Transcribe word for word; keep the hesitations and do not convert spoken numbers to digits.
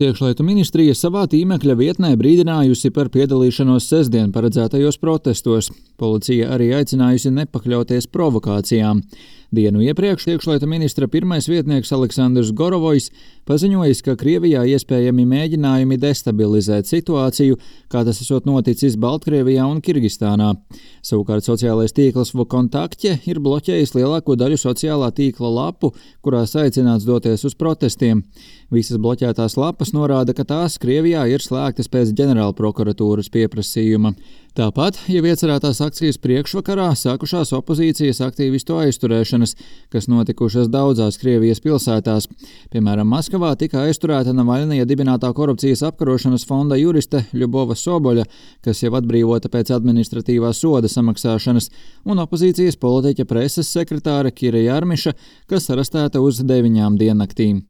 Iekšlietu ministrija savā tīmekļa vietnē brīdinājusi par piedalīšanos sestdien paredzētajos protestos. Policija arī aicinājusi nepakļauties provokācijām. Dienu iepriekš iekšlietu ministra pirmais vietnieks Aleksandrs Gorovojs paziņojis, ka Krievijā iespējami mēģinājumi destabilizēt situāciju, kā tas esot noticis Baltkrievijā un Kirgistānā. Savukārt sociālais tīkls Vkontakte ir bloķējis lielāko daļu sociālā tīkla lapu, kurās aicināts doties uz protestiem. Visas bloķētās lapas norāda, ka tās Krievijā ir slēgtas pēc ģenerālprokuratūras pieprasījuma. Tāpat jau iecerētās akcijas priekšvakarā sākušās opozīcijas aktīvistu aizturēšanas, kas notikušas daudzās Krievijas pilsētās. Piemēram, Maskavā tika aizturēta Navaļnija dibinātā korupcijas apkarošanas fonda juriste Ļubova Soboļa, kas jau atbrīvota pēc administratīvā soda samaksāšanas, un opozīcijas politiķa preses sekretāre Kira Jarmiša, kas arestēta uz deviņām diennaktīm.